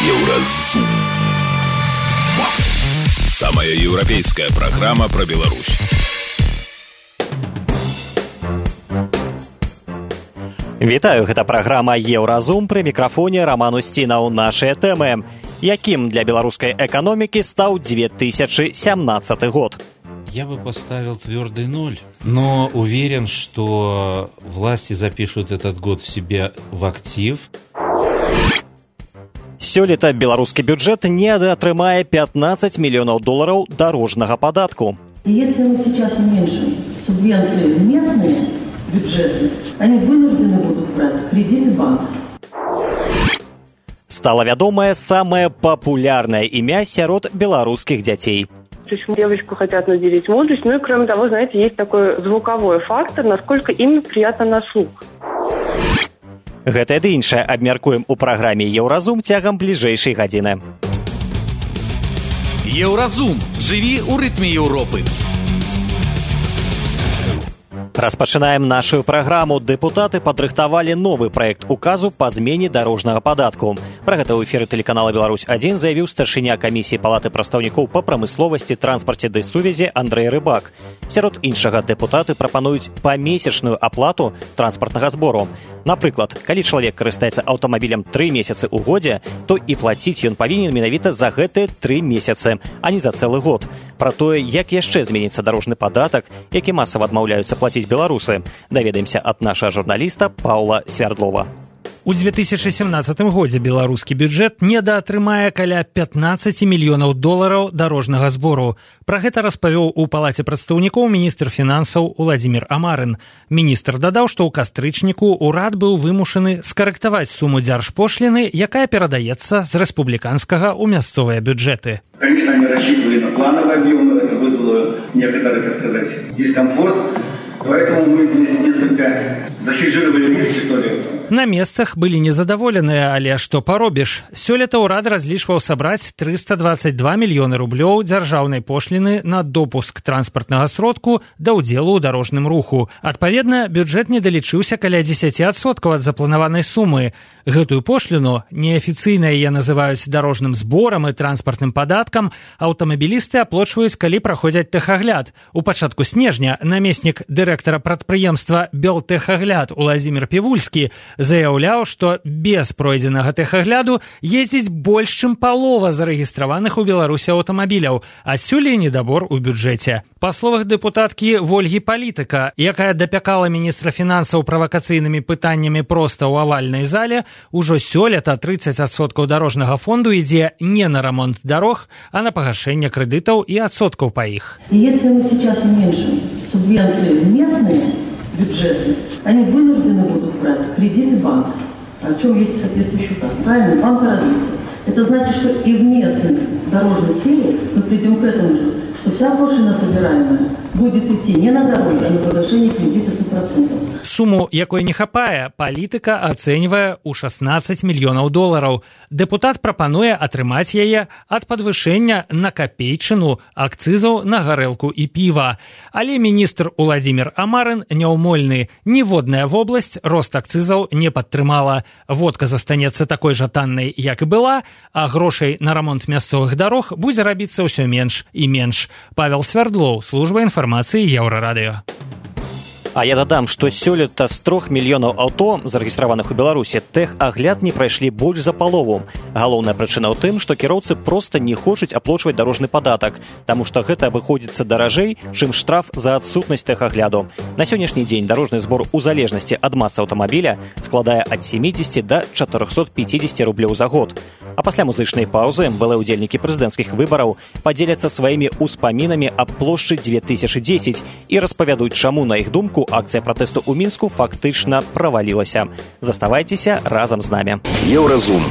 Еўразум. Самая европейская программа про Беларусь. Вітаю, гэта праграма «Еўразум», пры мікрафоне Роман Устінаў. Нашыя тэмы. Якім для беларускай эканомікі стаў 2017 год? Я бы поставил твердый 0, но уверен, что власти запишут этот год в себе в актив. Сёлета беларускі бюджэт не атрымае 15 миллионов долларов дорожнага падатку. Если мы сейчас уменьшим субвенции в местные бюджеты, они вынуждены будут брать кредиты банков. Стало вядомае самое популярное имя сярод белорусских детей. То есть девочку хотят наделить мудростью, ну и кроме того, знаете, есть такой звуковой фактор, насколько имя приятно на слух. Гэта ды іншае абмяркуем у праграме «Еўразум» цягам бліжэйшай гадзіны. Еўразум. Жыві ў рытме Еўропы. Распачынаем нашу праграму. Дэпутаты падрыхтавалі новы праект указу па змене дарожнага падатку. Пра гэта ў эфіры тэлеканала «Беларусь-1» заявіў старшыня камісіі палаты прадстаўнікоў па прамысловасці, транспарце ды сувязі Андрэй Рыбак. Сярод іншага дэпутаты прапануюць памесячную аплату транспартнага збору. Напрыклад, калі чалавек карыстаецца аўтамабілем 3 месяцы ў годзе, то і плаціць ён павінен менавіта за гэтыя 3 месяцы, а не за цэлы год. Пра тое, як яшчэ зменіцца дарожны падатак, які масава адмаўляюцца плаціць беларусы, даведаемся ад нашага журналіста Паўла Свярдлова. У 2017 годзе беларускі бюджэт недаатрымае каля 15 мільёнаў долараў дарожнага збору. Пра гэта распавёў у палаце прадстаўнікоў міністр фінансаў Уладзімір Амарын. Міністр дадаў, што ў кастрычніку ўрад быў вымушаны скарэктаваць суму дзяржпошліны, якая перадаецца з рэспубліканскага ў мясцовыя бюджэты. Конечно, они рассчитывали на плановый объем, но это вызвало некоторый, так сказать, дискомфорт. Поэтому мы здесь несколько захижировали месяц, что ли. На месцах былі незадаволеныя, але што паробіш. Сёлета ўрад разлічваў сабраць 322 мільёны рублёў дзяржаўнай пошліны на допуск транспартнага сродку да ўдзелу ў дарожным руху. Адпаведна, бюджэт не далічыўся каля 10% ад запланаванай сумы. Гэтую пошліну, неафіцыйна яе называюць дарожным зборам і транспартным падаткам, аўтамабілісты аплочваюць, калі праходзяць тэхагляд. У пачатку снежня намеснік дырэктара прадпрыемства «Белтэхагляд» Уладзімір Півульскі заяўляў, што без пройдзенага тэхагляду ездзіць больш, чым палова зарэгістраваных у Беларусі аўтамабіляў, адсюль і недабор у бюджэце. Па словах дэпутаткі Вольгі Палітыка, якая дапякала міністра фінансаў правакацыйнымі пытаннямі проста ў авальнай зале, ужо сёлета 30% дарожнага фонду ідзе не на рамонт дарог, а на пагашэнне крэдытаў і адсоткаў па іх. Если мы сейчас уменьшим субвенции в местные бюджеты, они вынуждены будут брать кредиты банков, о чем есть соответствующий указ. Правильно? Банка развития. Это значит, что и в местной дорожной сфере мы придем к этому же, что вся пошлина собираемая будет идти не на дороги, а на погашение кредитов и процентов. Суму, якой не хапае, палітыка ацэньвае ў 16 мільёнаў долараў. Дэпутат прапануе атрымаць яе ад падвышэння на капейчыну акцызаў на гарэлку і піва. Але міністр Уладзімір Амарын няўмольны. Ніводная вобласць рост акцызаў не падтрымала. Водка застанецца такой жа таннай, як і была, а грошай на рамонт мясцовых дарог будзе рабіцца ўсё менш і менш. Павел Свярдлоў, служба інфармацыі Еўрарадыё. А я дадам, што сёлета з 3 мільёнаў аўто, зарэгістраваных у Беларусі, тэхагляд не прайшлі больш за палову. Галоўная прычына ў тым, што кіроўцы проста не хочуць аплочваць дарожны падатак, таму што гэта абыходзіцца даражэй, чым штраф за адсутнасць тэхагляду. На сённяшні дзень дарожны збор у залежнасці ад масы аўтамабіля складае ад 70 да 450 рублёў за год. А пасля музычнай паўзы былыя ўдзельнікі прэзідэнцкіх выбараў падзеляцца сваімі ўспамінамі аб плошчы 2010 і распавядуць, чаму, на іх думку, акцыя пратэсту ў Мінску фактычна правалілася. Заставайцеся разам з намі. Еўразум.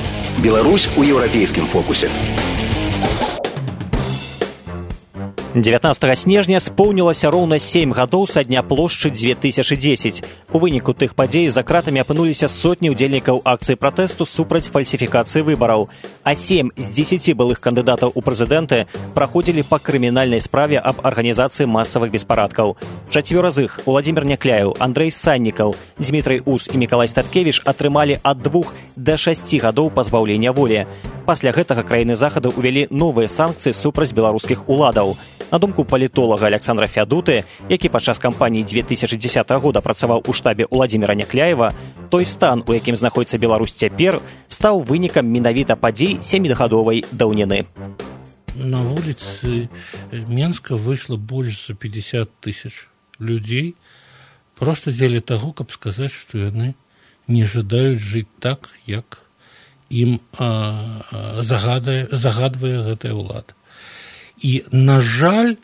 Беларусь у еўрапейскім фокусе. 19 снежня споўнілася роўна 7 гадоў са дня плошчы 2010. У выніку тых падзей за кратамі апынуліся сотні ўдзельнікаў акцыі пратэсту супраць фальсіфікацыі выбараў. А 7 з 10 былых кандыдатаў у прэзідэнты праходзілі па крымінальнай справе аб арганізацыі масавых беспарадкаў. 4 з іх – Уладзімір Някляеў, Андрэй Саннікаў, Дмітрый Ус і Мікалай Статкевіч – атрымалі ад 2 да 6 гадоў пазбаўлення волі. Пасля гэтага краіны захаду ўвялі новыя санкцыі супраць беларускіх уладаў. На думку палітолага Александра Фядуты, які падчас кампаніі 2010 года працаваў у штабе Уладзіміра Някляева, той стан, у якім знаходзіцца Беларусь цяпер, стаў вынікам менавіта падзей 7-гадовай даўніны. На вуліцы Менска выйшла больш за 50 тысяч людзей проста дзеля таго, каб сказаць, што яны не жадаюць жыць так, як ім загадвае гэтая ўлада. І, на жаль,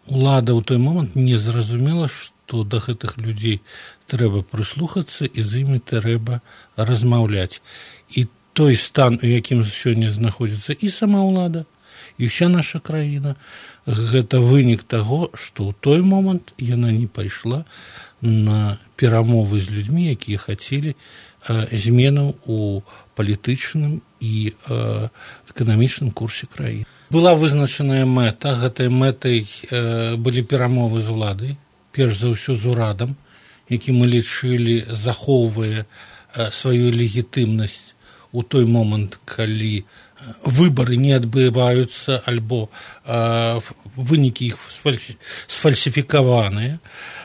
улада ў той момант не зразумела, што да гэтых людзей трэба прыслухацца і з імі трэба размаўляць. І той стан, у якім сёння знаходзіцца і сама ўлада, і ўся наша краіна, гэта вынік таго, што ў той момант яна не пайшла на перамовы з людзьмі, якія хацелі зменаў у палітычным і эканамічным курсе краіны. Была вызначаная мэта, гэтай мэтай былі перамовы з уладай, перш за ўсё з урадам, які мы лічылі захоўвае сваю легітымнасць у той момант, калі выбары не адбываюцца альбо вынікі іх сфальсіфікаваныя.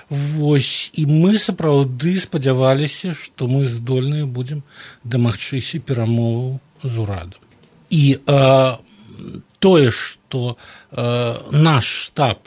Вось, і мы сапраўды спадзяваліся, што мы здольныя будзем дамагчыся перамоваў з урадам. І тое, што наш штаб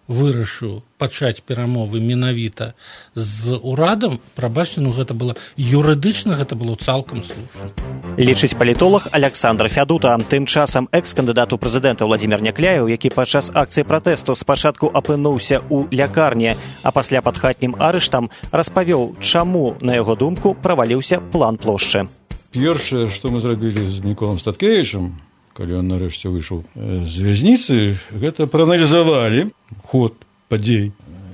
вырашыў пачаць перамовы менавіта з урадам, прабачце, гэта было юрыдычна, гэта было цалкам слушна. Лічыць палітолог Александр Фядута. Тым часам экс-кандыдат у прэзідэнта Уладзімір Някляеў, які падчас акцыі пратэсту спачатку апынуўся ў лякарні, а пасля пад хатнім арыштам, распавёў, чаму, на яго думку, праваліўся план плошчы. Першае, што мы зрабілі з Міколам Статкевічам, калі ён нарэшце выйшаў з вязніцы, гэта прааналізавалі ход падзей.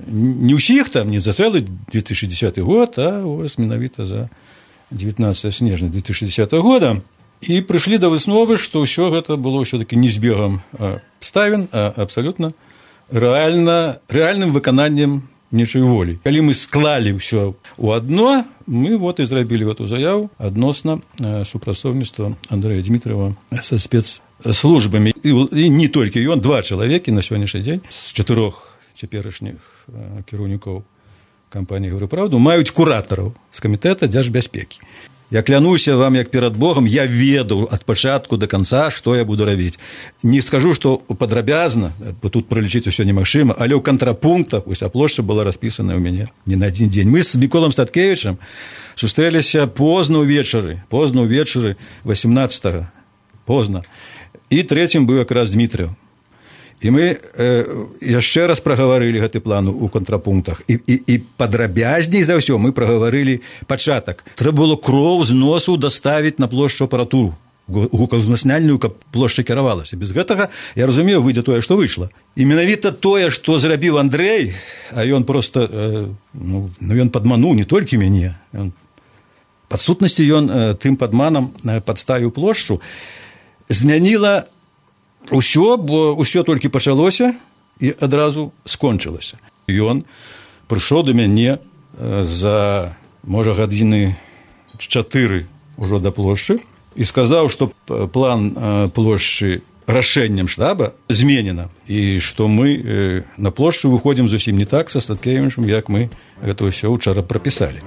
Не ўсіх там, не за цэлы 2010 год, а вось менавіта за 19 снежня 2010 года. І прыйшлі да высновы, што ўсё гэта было ўсё-такі не збегам абставін, а абсалютна рэальным выкананнем нечай волі. Калі мы склалі ўсё ў адно, мы і зрабілі гэту заяву адносна супрацоўніцтва Андрэя Дмітрыева са спецслужбамі. І не толькі ён, 2 чалавекі на сённяшні дзень з 4 цяперашніх кіраўнікоў кампаніі «Гавары праўду» маюць куратараў з камітэта дзяржбяспекі. Я клянуся вам, як перад Богом, я ведаў ад пачатку да канца, што я буду рабіць. Не скажу, што падрабязна, бо тут пралічыць усё немагчыма, але ў кантрапунктах уся плошча была распісаная ў мяне не на адзін дзень. Мы з Міколам Статкевічам сустрэліся позна ўвечары 18-го, позна. І трэцім быў якраз Дмітрыеў. І мы яшчэ раз прагаварылі гэты план у кантрапунктах. І падрабязней за ўсё мы прагаварылі пачатак. Трэба было кроў з носу даставіць на плошчу апаратуру гукаўзнасняльную, каб плошча кіравалася. Без гэтага, я разумею, выйдзе тое, што выйшла. І менавіта тое, што зрабіў Андрэй, а ён проста ён падмануў не толькі мяне. Пад сутнасці ён тым падманам падставіў плошчу, змяніла усё, бо ўсё толькі пачалося і адразу скончылася. Ён прыйшоў да мяне за, можа, гадзіны 4 ўжо да плошчы і сказаў, што план плошчы рашэннем штаба зменена і што мы на плошчу выходзім зусім не так са Статкевічам, як мы гэта ўсё ўчора прапісалі.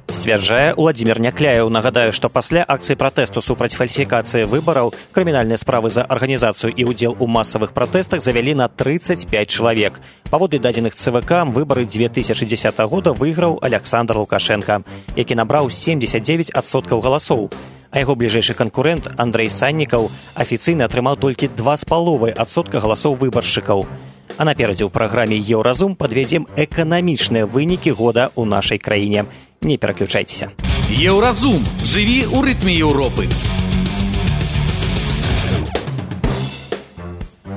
Сцвярджае Уладзімір Някляеў. Нагадаю, што пасля акцыі пратэсту супраць фальсіфікацыі выбараў крымінальныя справы за арганізацыю і ўдзел у масавых пратэстах завялі на 35 чалавек. Паводле дадзеных ЦВК, выбары 2010 года выйграў Александр Лукашенко, які набраў 79% галасоў. А яго бліжэйшы канкурэнт Андрэй Саннікаў афіцыйна атрымаў толькі 2,5% галасоў выбаршчыкаў. А наперадзе ў праграме «Еўразум» падвядзем эканамічныя вынікі года ў нашай краіне. Не пераключайцеся. Еўразум. Жыві ў рытме Еўропы.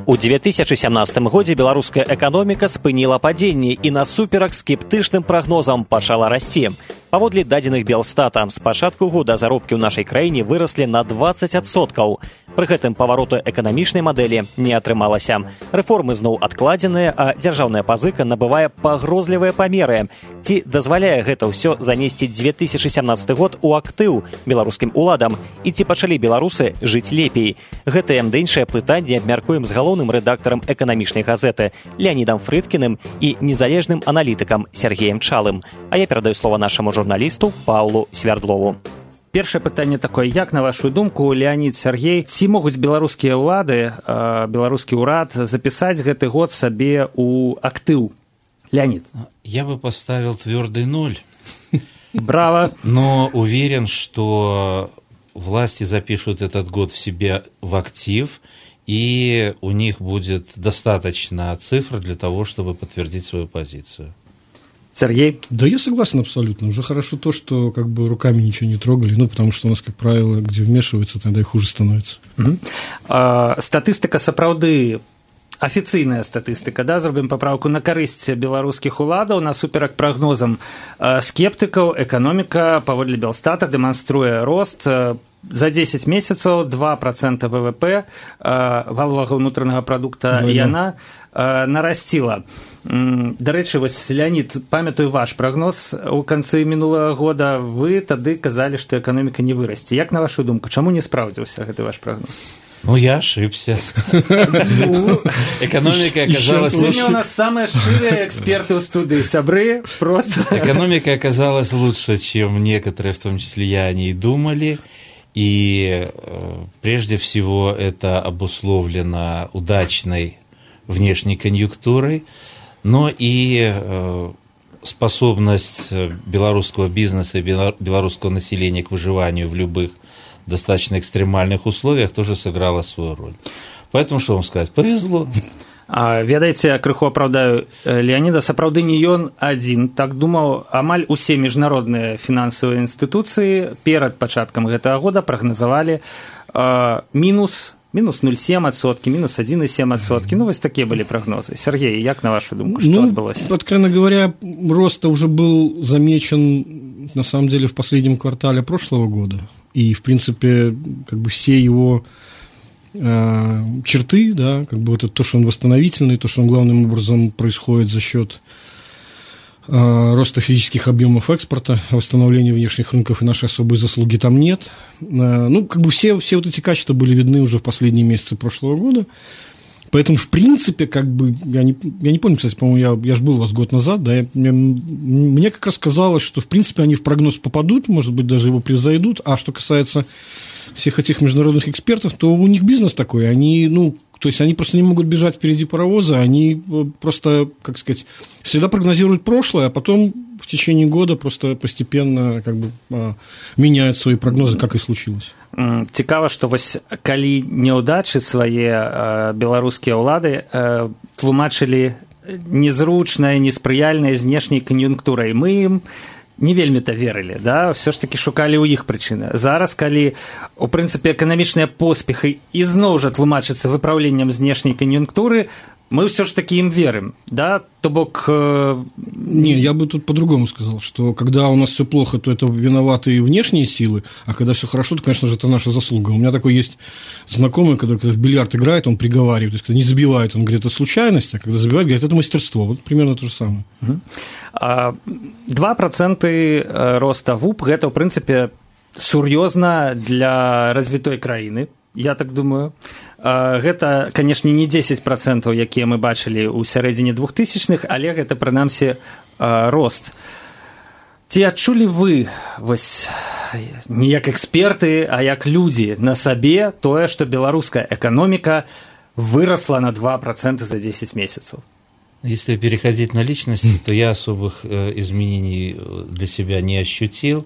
У 2017 годзе беларуская эканоміка спыніла падзенне і насуперак скептычным прагнозам пачала расці. Паводле дадзеных Белстата, з пачатку года заробкі ў нашай краіне выраслі на 20%. Пры гэтым павароту эканамічнай мадэлі не атрымалася. Рэформы зноў адкладзеныя, а дзяржаўная пазыка набывае пагрозлівыя памеры. Ці дазваляе гэта ўсё занесці 2017 год у актыў беларускім уладам? І ці пачалі беларусы жыць лепей? Гэтае ды іншае пытанне абмяркуем з галоўным рэдактарам эканамічнай газеты Леанідам Фрыдкіным і незалежным аналітыкам Сергеем Чалым. А я перадаю слова нашаму журналісту Паўлу Свярдлову. Першае пытанне такое, як на вашу думку, Леанід, Сергей, ці могуць беларускія ўлады, беларускі ўрад запісаць гэты год сабе ў актыў? Леонид. Я бы поставил твердый 0. Браво. Но уверен, что власти запишут этот год в себе в актив, и у них будет достаточно цифр для того, чтобы подтвердить свою позицию. Сергей? Да, я согласен абсолютно. Уже хорошо то, что как бы руками ничего не трогали, потому что у нас, как правило, где вмешиваются, тогда и хуже становится. Статыстика сапраўды, афіцыйная статыстыка, да, зробім паправку на карысць беларускіх уладаў, насуперак прагнозам скептыкаў, эканоміка паводле Белстата дэманструе рост за 10 месяцаў 2% ВВП валовага ўнутранага прадукта, і яна нарасціла. Дарэчы, вось, Леонид, памятаю ваш прагноз у канцы мінулага года, вы тады казалі, што эканоміка не вырасце. Як на вашу думку, чаму не спраўдзіўся гэты ваш прагноз? Ну, я ошибся. Экономика оказалась... Сегодня у нас самые шчырыя эксперты у студии, сябры, просто... Экономика оказалась лучше, чем некоторые, в том числе я, о ней думали. И прежде всего это обусловлено удачной внешней конъюнктурой, но и способность белорусского бизнеса и белорусского населения к выживанию в любых достаточно экстремальных условиях тоже сыграла свою роль. Поэтому, что вам сказать, повезло. Ведаеце, крыху апраўдаю Леоніда, сапраўды не ён адзін. Так думаў, амаль усе міжнародныя фінансавыя інстытуцыі перад пачаткам гэтага года прагназавалі мінус 0,7%, минус 1,7%. Ну, вот такие были прогнозы. Сергей, як на вашу думку, что отбылось? Откровенно говоря, рост уже был замечен, на самом деле, в последнем квартале прошлого года. И, в принципе, как бы все его черты, да, как бы вот это то, что он восстановительный, то, что он главным образом происходит за счет роста физических объемов экспорта, восстановления внешних рынков, и нашей особой заслуги там нет. Ну, как бы все вот эти качества были видны уже в последние месяцы прошлого года. Поэтому, в принципе, как бы, я не помню, кстати, по-моему, я же был у вас год назад, да, мне как раз казалось, что, в принципе, они в прогноз попадут, может быть, даже его превзойдут, а что касается всех этих международных экспертов, то у них бизнес такой, они, ну, то есть они просто не могут бежать впереди паровоза, они просто, как сказать, всегда прогнозируют прошлое, а потом в течение года просто постепенно как бы меняют свои прогнозы, как и случилось. Цікава, што вось калі няўдачы свае беларускія ўлады тлумачылі незручнай, неспрыяльнай знешняй кан'юнктурай, мы ім не вельмі-то верылі, да? Все ж таки шукалі ў іх прычыны. Зараз, калі, у прынцыпе, эканамічныя поспехі ізноў жа тлумачацца выпраўленнем знешняй кан'юнктуры, мы все ж таки им верим, да? То бок... Не, я бы тут по-другому сказал, что когда у нас все плохо, то это виноваты и внешние силы, а когда все хорошо, то, конечно же, это наша заслуга. У меня такой есть знакомый, который, когда в бильярд играет, он приговаривает, то есть, когда не забивает, он говорит, это случайность, а когда забивает, говорит, это мастерство. Вот примерно то же самое. 2% роста ВУП, гэта, в принципе, сур'ёзна для развітой краіны, я так думаю. Гэта, канешне, не 10%, якія мы бачылі ў сярэдзіне 2000-х, але гэта, прынамсі, рост. Ці адчулі вы, вось, не як эксперты, а як людзі на сабе тое, што беларуская эканоміка вырасла на 2% за 10 месяцаў? Если переходить на личности, то я особых изменений для себя не ощутил,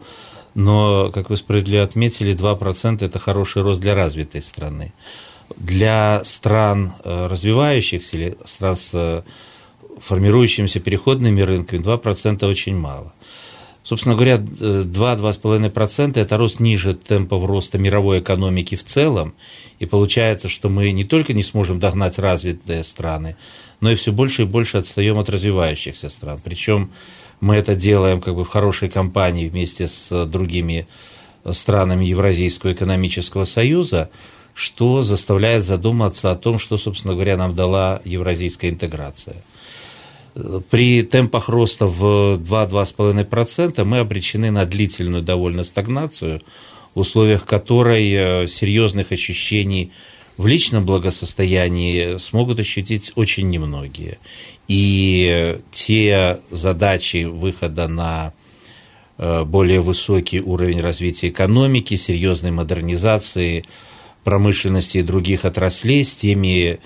но, как вы справедливо отметили, 2% – это хороший рост для развитой страны. Для стран развивающихся или стран с формирующимися переходными рынками 2% очень мало. Собственно говоря, 2-2,5% – это рост ниже темпов роста мировой экономики в целом, и получается, что мы не только не сможем догнать развитые страны, но и все больше и больше отстаем от развивающихся стран. Причем мы это делаем как бы в хорошей компании вместе с другими странами Евразийского экономического союза, что заставляет задуматься о том, что, собственно говоря, нам дала евразийская интеграция. При темпах роста в 2-2,5% мы обречены на длительную довольно стагнацию, в условиях которой серьезных ощущений в личном благосостоянии смогут ощутить очень немногие. И те задачи выхода на более высокий уровень развития экономики, серьезной модернизации промышленности и других отраслей с теми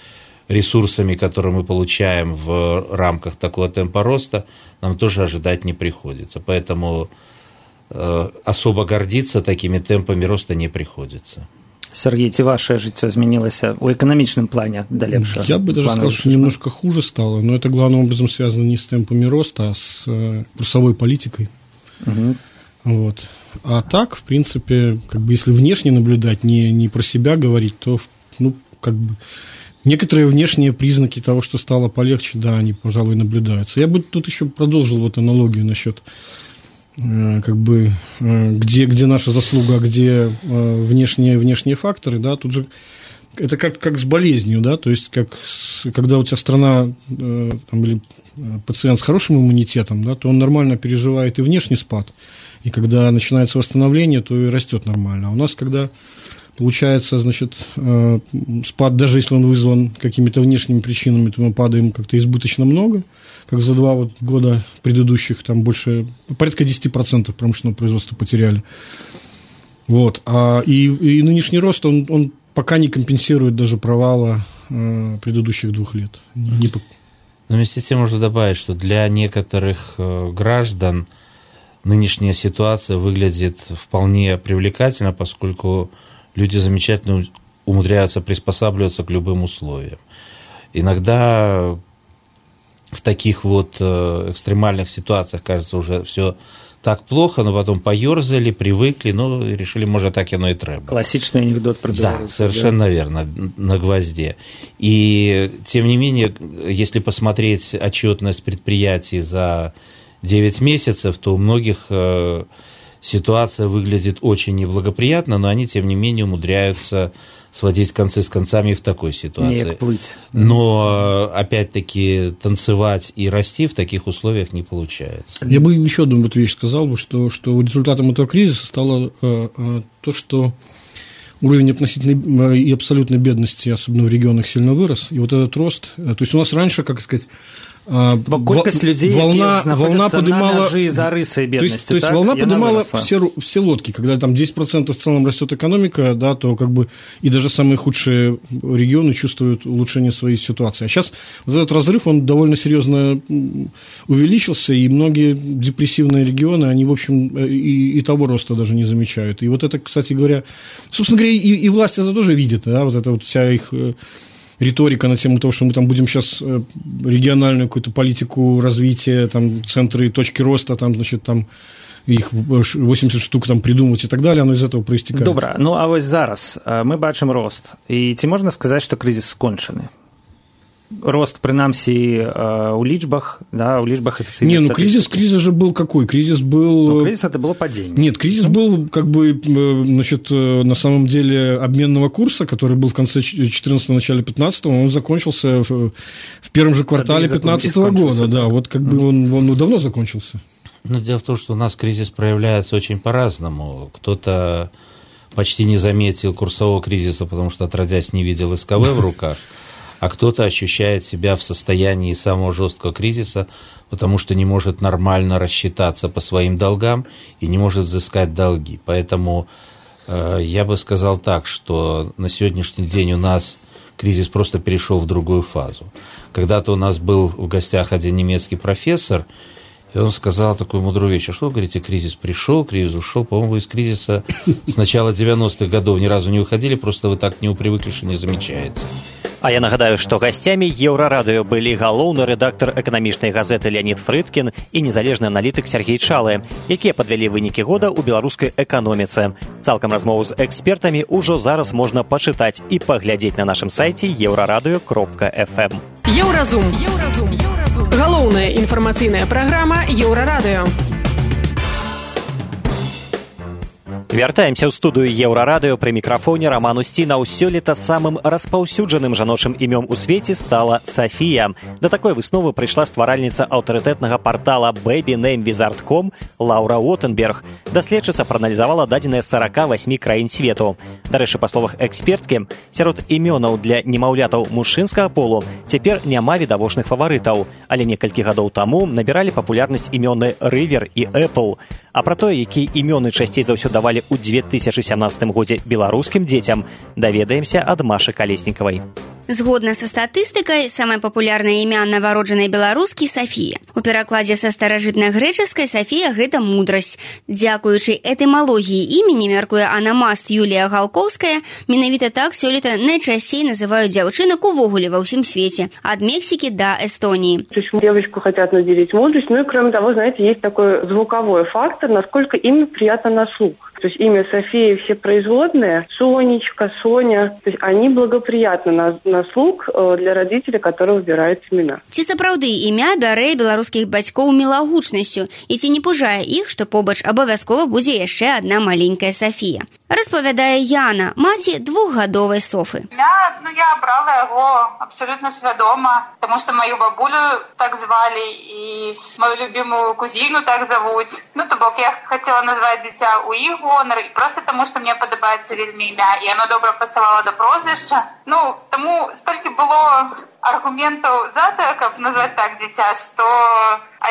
ресурсами, которые мы получаем в рамках такого темпа роста, нам тоже ожидать не приходится. Поэтому особо гордиться такими темпами роста не приходится. Сергей, ці ваше жыццё змянілася ў эканамічным плане да лепшага? Я бы даже сказал, что немножко хуже стало, но это главным образом связано не с темпами роста, а с курсовой политикой. Вот. А так, в принципе, как бы если внешне наблюдать, не про себя говорить, то, ну, как бы некоторые внешние признаки того, что стало полегче, да, они, пожалуй, наблюдаются. Я бы тут еще продолжил вот аналогию насчет как бы где наша заслуга, а где внешние факторы, да, тут же это как с болезнью, да, то есть когда у тебя страна там, или пациент с хорошим иммунитетом, да, то он нормально переживает и внешний спад, и когда начинается восстановление, то и растет нормально. А у нас, когда получается, значит, спад, даже если он вызван какими-то внешними причинами, то мы падаем как-то избыточно много, как за 2 года предыдущих, там больше, порядка 10% промышленного производства потеряли. Вот. И нынешний рост, он пока не компенсирует даже провала предыдущих 2 лет. Но вместе с тем можно добавить, что для некоторых граждан нынешняя ситуация выглядит вполне привлекательно, поскольку люди замечательно умудряются приспосабливаться к любым условиям. Иногда в таких вот экстремальных ситуациях, кажется, уже все так плохо, но потом поерзали, привыкли, ну, и решили, может, так оно и треба. Классичный анекдот про белорусов. Да, совершенно верно, на гвозде. И, тем не менее, если посмотреть отчетность предприятий за 9 месяцев, то у многих ситуация выглядит очень неблагоприятно, но они, тем не менее, умудряются сводить концы с концами в такой ситуации. Но, опять-таки, танцевать и расти в таких условиях не получается. Я бы еще одну вещь сказал, что результатом этого кризиса стало то, что уровень относительной и абсолютной бедности, особенно в регионах, сильно вырос. И вот этот рост, то есть у нас раньше, как сказать, колькасць людей, волна поднимала, на мяжы за рысой бедности. То есть волна поднимала все лодки. Когда там 10% в целом растет экономика, да, то как бы и даже самые худшие регионы чувствуют улучшение своей ситуации. А сейчас вот этот разрыв, он довольно серьезно увеличился, и многие депрессивные регионы, они, в общем, и того роста даже не замечают. И вот это, кстати говоря, собственно говоря, и власть это тоже видит, да, вот это вот вся их риторика на тему того, что мы там будем сейчас региональную какую-то политику развития, там, центры, точки роста, там, значит, там, их 80 штук там придумывать и так далее, оно из этого проистекает. Добра, ну а вось зараз мы бачым рост. І ці можна сказаць, што крызіс скончаны? Рост, принамсі, у лічбах, да, у лічбах официальной Не, ну кризис же был какой? Кризис был... Ну, кризис это было падение. Нет, кризис был, как бы, значит, на самом деле обменного курса, который был в конце 14-го, начале 15-го, он закончился в первом же квартале 15-го года, да, вот как бы он давно закончился. Ну, дело в том, что у нас кризис проявляется очень по-разному. Кто-то почти не заметил курсового кризиса, потому что, отродясь, не видел СКВ в руках, а кто-то ощущает себя в состоянии самого жесткого кризиса, потому что не может нормально рассчитаться по своим долгам и не может взыскать долги. Поэтому я бы сказал так, что на сегодняшний день у нас кризис просто перешел в другую фазу. Когда-то у нас был в гостях один немецкий профессор, и он сказал такую мудрую вещь: а что вы говорите, кризис пришел, кризис ушел? По-моему, вы из кризиса с начала 90-х годов ни разу не выходили, просто вы так к нему привыкли, что не замечаете. А я нагадаю, што гасцямі Еўрарадыё былі галоўны рэдактар эканамічнай газеты Леонид Фрыдкін і незалежны аналітык Сергей Чалы, якія падвялі вынікі года ў беларускай эканоміцы. Цалкам размову з экспертамі ўжо зараз можна пачытаць і паглядзець на нашым сайце euraradio.fm. Еўразум. Галоўная інфармацыйная праграма Еўрарадыё. Вяртаемся ў студыю Еўрарадыё, пры мікрафоне Раман Усцінаў. Сёлета самым распаўсюджаным жаночым імём у свеце стала Сафія. Да такой высновы прыйшла стваральніца аўтарытэтнага партала babynamewizard.com Лаўра Уотенберг. Даследчыца прааналізавала дадзеныя 48 краін свету. Дарэчы, па словах эксперткі, сярод імёнаў для немаўлятаў мужчынскага полу цяпер няма відавочных фаварытаў, але некалькі гадоў таму набіралі папулярнасць імёны Рывер і Эпл. А пра тое, якія імёны часцей за ўсё давалі ў 2017 годзе беларускім дзецям, даведаемся ад Машы Калеснікавай. Згодна са статыстыкай, самае папулярнае імя нованароджанай беларускі Сафія. У перакладзе са старажытнагрэчаскай Сафія гэта мудрасць. Дзякуючы этымалогіі імені, мяркуе анамаст Юлія Галкоўская, менавіта так сёлета найчасцей называюць дзяўчынак увогуле ва ўсім свеце, ад Мексики до Эстонии. То есть девочку хотят наделить мудростью, ну и кроме того, знаете, есть такой звуковой фактор, насколько имя приятно на слух. То есть имя София, все производные, Сонечка, Соня, то есть они благоприятны на слух для родителей, которые выбирают имена. Ці сапраўды імя бярэ беларускіх бацькоў мілагучнасцю, і ці не пужае іх, што побач абавязкова будзе яшчэ адна маленькая Софія. Распавядае Яна, маці двухгадовай Софы. Я обрала его абсолютно свядома, потому что мою бабулю так звали и мою любимую кузину так зовут. То бок я хотела назвать дитя у их гонор, и просто тому, что мне подобається вельми імя, и оно добре пасавало до прозвища. Тому стільки було аргументів за те, як назвати так дитя, що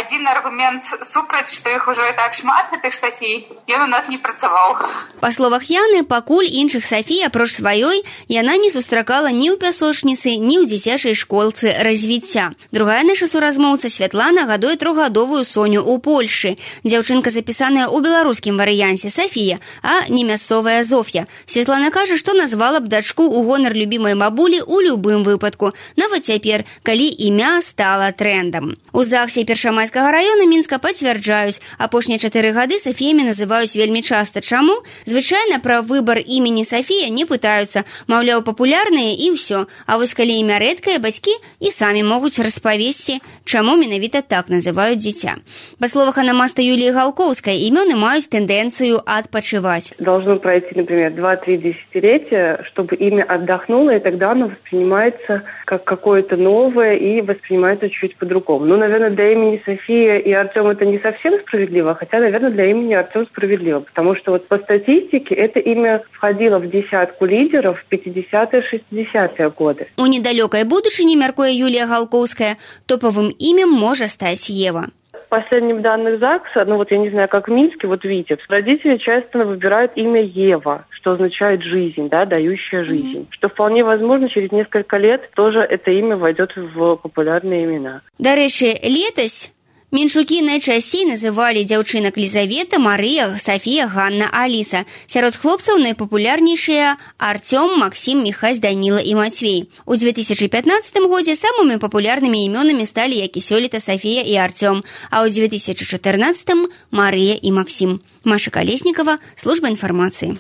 один аргумент супраць, што іх ужо і так шмат, гэтых Сафій, ён у нас не працаваў. Па словах Яны, пакуль іншых Сафій, апроч сваёй, яна не сустракала ні ў пясочніцы, ні ў дзіцячай школцы развіцця. Другая наша суразмоўца Святлана гадуе трохгадовую Соню ў Польшы. Дзяўчынка запісаная ў беларускім варыянце Сафія, а не мясцовая Зоф'я. Святлана кажа, што назвала б дачку ў гонар любімай бабулі ў любым выпадку, нават цяпер, калі імя стала трэндам. У ЗАГСе Першамайскага раёна Мінска пацвярджаюць, апошнія 4 гады Сафіямі называюць вельмі часта. Чаму? Звычайна пра выбар імені Сафія не пытаюцца, маўляў, папулярныя і ўсё. А вось калі імя рэдкае, бацькі і самі могуць распавесці, чаму менавіта так называюць дзіця. Па словах анамаста Юліі Галкоўскай, імёны маюць тэндэнцыю адпачываць. Должно пройти, например, 2-3 десятилетия, чтобы имя отдохнуло, и тогда оно воспринимается как какое-то новое и воспринимается чуть по-другому. Наверное, для имени София и Артем это не совсем справедливо, хотя, наверное, для имени Артем справедливо, потому что вот по статистике это имя входило в десятку лидеров в 50-е, 60-е годы. У недалёкай будучыні, мяркуе Юлія Галкоўская, топовым імем можа стаць Ева. По последним данным ЗАГСа, я не знаю, как в Минске, Витебск, родители часто выбирают имя Ева, что означает жизнь, дающая жизнь. Что вполне возможно, через несколько лет тоже это имя войдет в популярные имена. Дарэчы, летась меншукі найчасцей называлі дзяўчынак Лізавета, Марыя, Сафія, Ганна, Аліса. Сярод хлопцаў найпапулярнейшыя Артём, Максім, Міхась, Даніла і Мацвей. У 2015 годзе самымі папулярнымі імёнамі сталі, як і сёлета, Сафія і Артём, а ў 2014 Марыя і Максім. Маша Калеснікава, служба інфармацыі.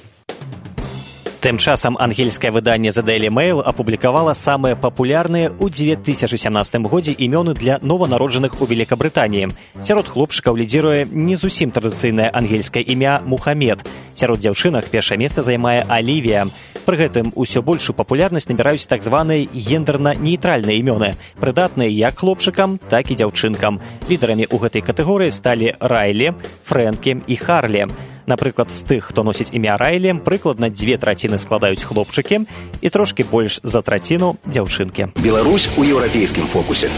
Тым часам ангельскае выданне The Daily Mail апублікавала самыя папулярныя ў 2017 годзе імёны для нованароджаных у Великабрытаніі. Сярод хлопчыкаў лідзіруе не зусім традыцыйнае ангельскае імя Мухаммед. Сярод дзяўчынак першае месца займае Алівія. Пры гэтым усё большую папулярнасць набіраюць так званыя гендерна-нейтральныя імёны, прыдатныя як хлопчыкам, так і дзяўчынкам. Лідарамі ў гэтай катэгорыі сталі Райлі, Фрэнкі і Харлі. Напрыклад, з тых, хто носіць імя Райлі, прыкладна 2/3 складаюць хлопчыкі і трошкі больш за траціну дзяўчынкі. Беларусь у еўрапейскім фокусе.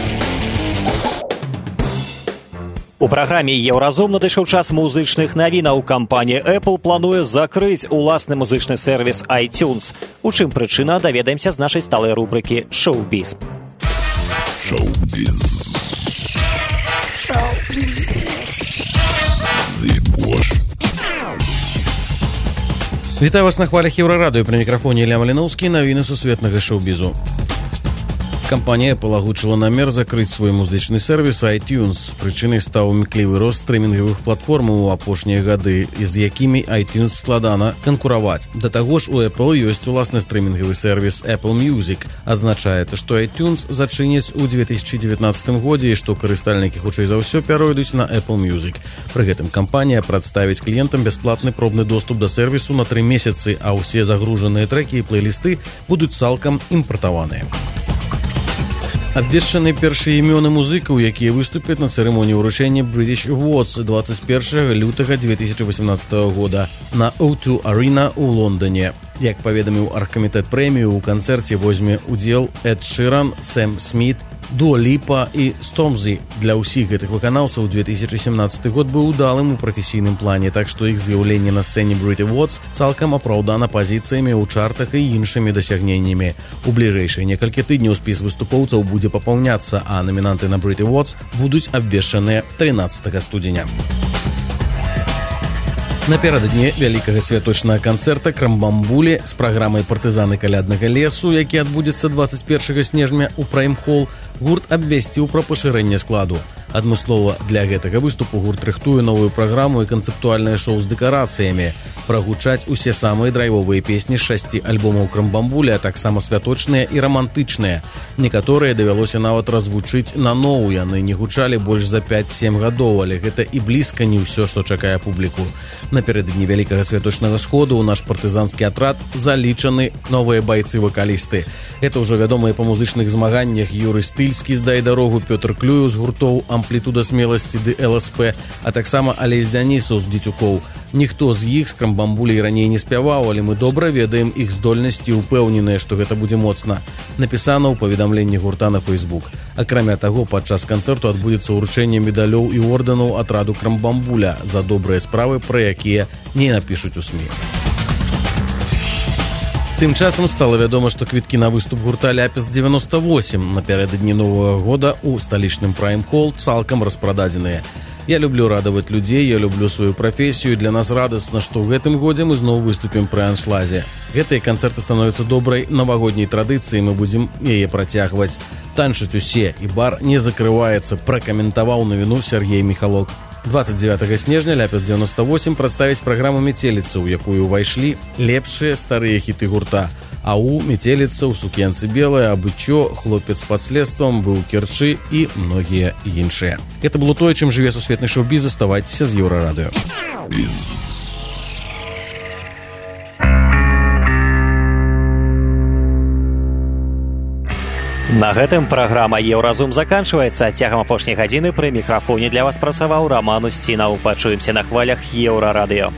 У праграме «Еўразум» надышоў час музычных навінаў. Кампанія Apple плануе закрыць уласны музычны сервіс iTunes. У чым прычына, даведаемся з нашай сталай рубрыкі «Шоу-біз». Шоу-біз. Вітаю вас на хвалях Еўрарадыё. Пры мікрафоне Ілля Маліноўскі. Навіны сусветнага шоу-бізу. Кампанія Apple агучыла намер закрыць свой музычны сервіс iTunes. Прычынай стаў імклівы рост стрымінгавых платформаў у апошнія гады, з якімі iTunes складана канкураваць. Да таго ж у Apple ёсць уласны стрымінгавы сервіс Apple Music. Азначаецца, што iTunes зачыняць у 2019 годзе і што карыстальнікі хутчэй за ўсё пяройдуць на Apple Music. Пры гэтым кампанія прадставіць кліентам бясплатны пробны доступ да сервісу на 3 месяцы, а ўсе загружаныя трэкі і плейлісты будуць цалкам імпартаваныя. Абвешчаны першыя імёны музыкаў, якія выступяць на цырымоніі ўручэння British Awards 21 лютага 2018 года на O2 Arena ў Лондоне. Як паведаміў аргкамітэт прэмію, у канцэрце возьме удзел Эд Ширан, Сэм Сміт, Дуа Ліпа і Стомзі. Для ўсіх гэтых выканаўцаў 2017 год быў удалым у прафесійным плане, так што іх з'яўленне на сцэне Brit Awards цалкам апраўдана пазіцыямі ў чартах і іншымі дасягненнямі. У бліжэйшыя некалькі тыдняў спіс выступоўцаў будзе папаўняцца, а намінанты на Brit Awards будуць абвешчаныя 13 студзеня. Напярэдадні вялікага святочнага канцэрта Крамбамбулі з праграмай «Партызаны каляднага лесу», які адбудзецца 21 снежня ў Прайм-хол, гурт абвясціў пра пашырэнне складу. Адмыслова для гэтага выступу гурт рыхтуе новую праграму і канцэптуальнае шоу з дэкарацыямі. Прагучаць усе самыя драйвовыя песні з 6 альбомаў Крамбамбуля, а таксама святочныя і рамантычныя. Некаторыя давялося нават развучыць наноў, яны не гучалі больш за 5-7 гадоў, але гэта і блізка не ўсё, што чакае публіку. Напярэдадні вялікага святочнага сходу ў наш партызанскі атрад залічаны новыя байцы-вакалісты. Гэта ўжо вядомыя па музычных змаганнях Юрый Стыльскі з «Дай дарогу», Пётр Клюеў з гуртоў «Амплітуда смеласці» ды «ЛСП», а таксама Алесь Дзянісаў з «Дзецюкоў». Ніхто з іх з Крамбамбулей раней не спяваў, але мы добра ведаем іх здольнасці і ўпэўненыя, што гэта будзе моцна. Напісана ў паведамленні гурта на Facebook. Акрамя таго, падчас канцэрту адбудзецца ўручэнне медалёў і ордэнаў атраду Крамбамбуля за добрыя справы, пра якія не напішуць у СМІ. Тым часам стала вядома, што квіткі на выступ гурта «Ляпіс-98» напярэдадні Новага года ў сталічным Прайм-хол цалкам распрададзеныя. Я люблю радаваць людзей, я люблю сваю прафесію, для нас радасна, што ў гэтым годзе мы зноў выступім пры аншлаге. Гэтыя канцэрты становяцца добрай навагодняй традыцыяй, мы будзем яе працягваць. Танчаць усе, і бар не закрываецца, пракаментаваў навіну Сергей Міхалок. 29 снежня «Ляпіс-98» прадставіць праграму «Метеліца», у якую ўвайшлі лепшыя старыя хіты гурта. АУ, «Метеліца», «У сукенцы белая», «Абычо», «Хлопец пад следствам», «Быў Керчы» і многія іншыя. Гэта было тое, чым жыве сусветны шоу-біз. Заставайцеся з Еўрарадыё. На гэтым праграма «Еўразум» заканчваецца. Цягам апошняй гадзіны пры мікрафоне для вас працаваў Раман Устінаў. Пачуемся на хвалях Еўрарадыё.